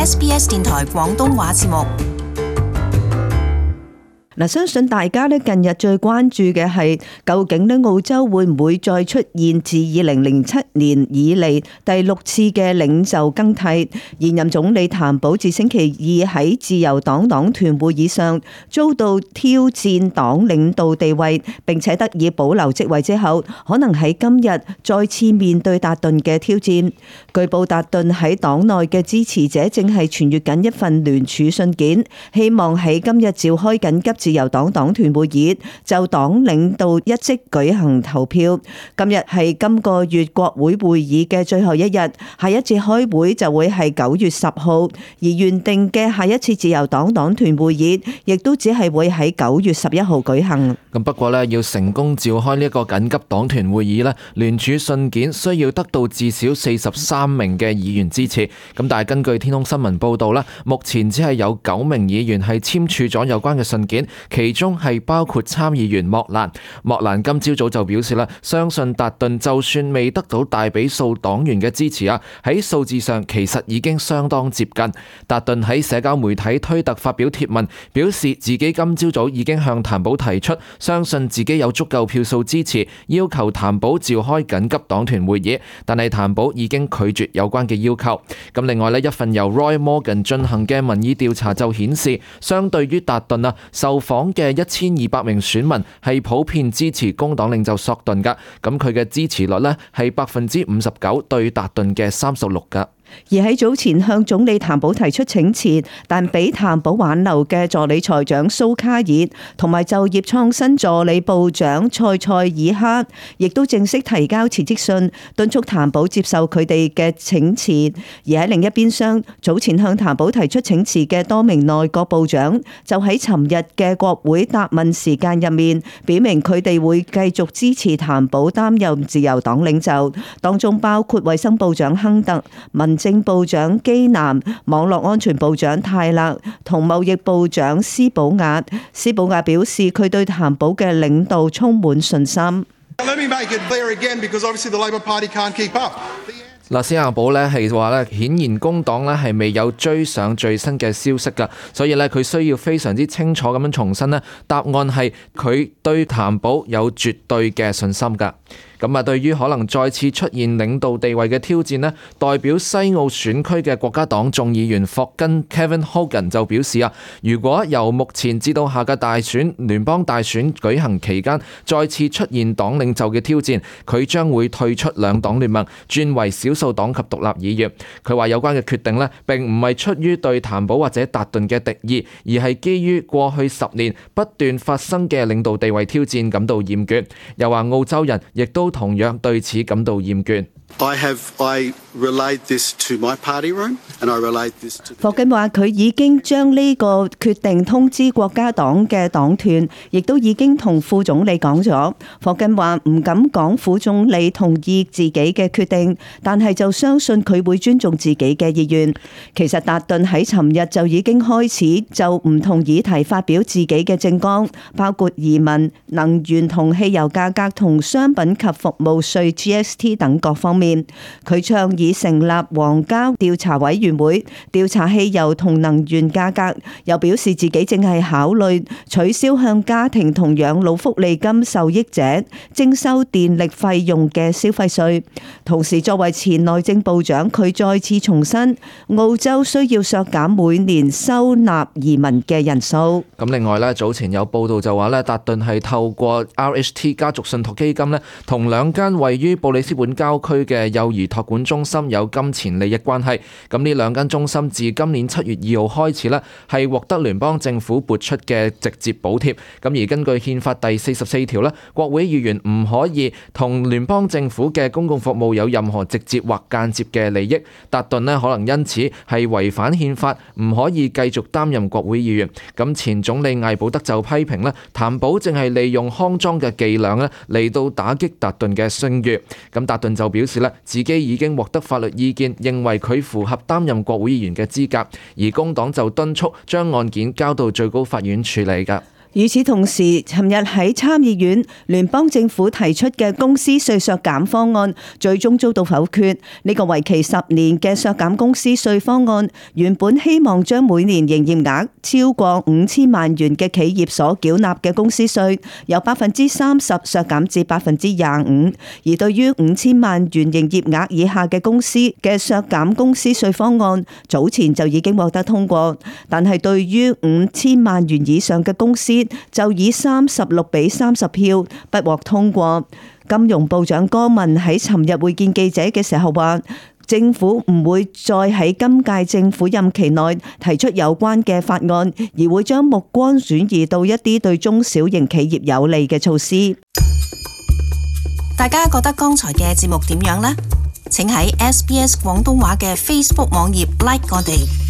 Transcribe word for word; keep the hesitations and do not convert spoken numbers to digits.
S B S 電台廣東話節目。嗱，相信大家咧近日最關注嘅係，究竟咧澳洲會唔會再出現自二零零七年以嚟第六次嘅領袖更替？現任總理譚寶自星期二喺自由黨黨團會議上遭到挑戰黨領導地位，並且得以保留職位之後，可能喺今日再次面對達頓嘅挑戰。據報達頓喺黨內嘅支持者正係傳閱緊一份聯署信件，希望喺今日召開緊急自由黨黨團會議，就黨領導一職舉行投票。今日係今個月國會會議嘅最後一日，下一次開會就會係九月十號，而原定嘅下一次自由黨黨團會議亦都只係會喺九月十一號舉行。咁不過呢，要成功召開呢一個緊急黨團會議呢，聯署信件需要得到至少四十三名嘅議員支持。咁但係根據天空新聞報道呢，目前只係有九名議員係簽署咗有關嘅信件。其中係包括參議員莫蘭。莫蘭今朝早就表示啦，相信達頓就算未得到大比數黨員嘅支持啊，喺數字上其實已經相當接近。達頓喺社交媒體推特發表貼文，表示自己今朝早已經向譚寶提出，相信自己有足夠票數支持，要求譚寶召開緊急黨團會議，但係譚寶已經拒絕有關嘅要求。咁另外呢，一份由 Roy Morgan 進行嘅民意調查就顯示，相對於達頓啊，受訪嘅一千二百名選民係普遍支持工黨領袖索頓噶，咁佢嘅支持率呢係百分之五十九對達頓嘅三十六噶。而喺早前向總理譚寶提出請辭，但俾譚寶挽留嘅助理財長蘇卡爾同埋就業創新助理部長塞塞爾克，亦都正式提交辭職信，敦促譚寶接受佢哋嘅請辭。而喺另一邊廂，早前向譚寶提出請辭嘅多名內閣部長，就喺尋日嘅國會答問時間入面，表明佢哋會繼續支持譚寶擔任自由黨領袖，當中包括衛生部長亨特、民政部長基南、網絡安全部長泰勒同貿易部長斯保亞。斯保亞表示佢對譚寶嘅領導充滿信心。嗱，斯亞寶呢係話呢，顯然工黨呢係未有追上最新嘅消息噶，所以呢，佢需要非常之清楚咁樣重申呢，答案係佢對譚寶有絕對嘅信心噶。咁啊，對於可能再次出現領導地位嘅挑戰呢，代表西澳選區嘅國家黨眾議員霍根 Kevin Hogan 就表示啊，如果由目前至到下個大選聯邦大選舉行期間再次出現黨領袖嘅挑戰，佢將會退出兩黨聯盟，轉為少數黨及獨立議員。佢話有關嘅決定呢，並唔係出於對譚寶或者達頓嘅敵意，而係基於過去十年不斷發生嘅領導地位挑戰感到厭倦。又話澳洲人亦都同樣對此感到厭倦。I have, I relayed this to my party room, and I relayed this to the... 霍根話佢已經將呢個決定通知國家黨嘅黨團，亦都已經同副總理講咗。霍根話唔敢講副總理同意自己嘅決定，但係就相信佢會尊重自己嘅意願。其實達頓喺尋日就已經開始就唔同議題發表自己嘅政綱，包括移民、能源同汽油價格同商品及服務稅 G S T 等各方面。佢倡議成立皇家調查委員會調查汽油同能源價格，又表示自己正係考慮取消向家庭同養老福利金受益者徵收電力費用嘅消費稅。同時作為前內政部長，佢再次重申澳洲需要削減每年收納移民嘅人數。咁另外咧，早前有報道就話咧，達頓係透過 R H T 家族信託基金咧，同兩間位於布里斯本郊區嘅嘅幼兒託管中心有金錢利益關係，咁呢兩間中心自今年七月二號開始呢係獲得聯邦政府撥出嘅直接補貼，咁而根據憲法第四十四條呢，國會議員唔可以同聯邦政府嘅公共服務有任何直接或間接嘅利益。達頓呢可能因此係違反憲法，唔可以繼續擔任國會議員。咁前總理艾保德就批評呢，譚寶正係利用康莊嘅伎倆呢嚟到打擊達頓嘅聲譽。咁達頓就表示自己已經獲得法律意見，認為佢符合擔任國會議員嘅資格，而工黨就敦促將案件交到最高法院處理㗎。與此同時，尋日喺參議院聯邦政府提出嘅公司稅削減方案，最終遭到否決。呢個為期十年嘅削減公司稅方案，原本希望將每年營業額超過五千萬元嘅企業所繳納嘅公司稅，由百分之三十削減至百分之廿五。而對於五千萬元營業額以下嘅公司嘅削減公司稅方案，早前就已經獲得通過。但係對於五千萬元以上嘅公司，就以三十六比三十票不獲通過。金融部長柯文喺尋日會見記者嘅時候話，政府唔會再喺今屆政府任期內提出有關嘅法案，而會將目光轉移到一啲對中小型企業有利嘅措施。大家覺得剛才嘅節目點樣呢？請喺 S B S 廣東話嘅 Facebook 網頁 like 我哋。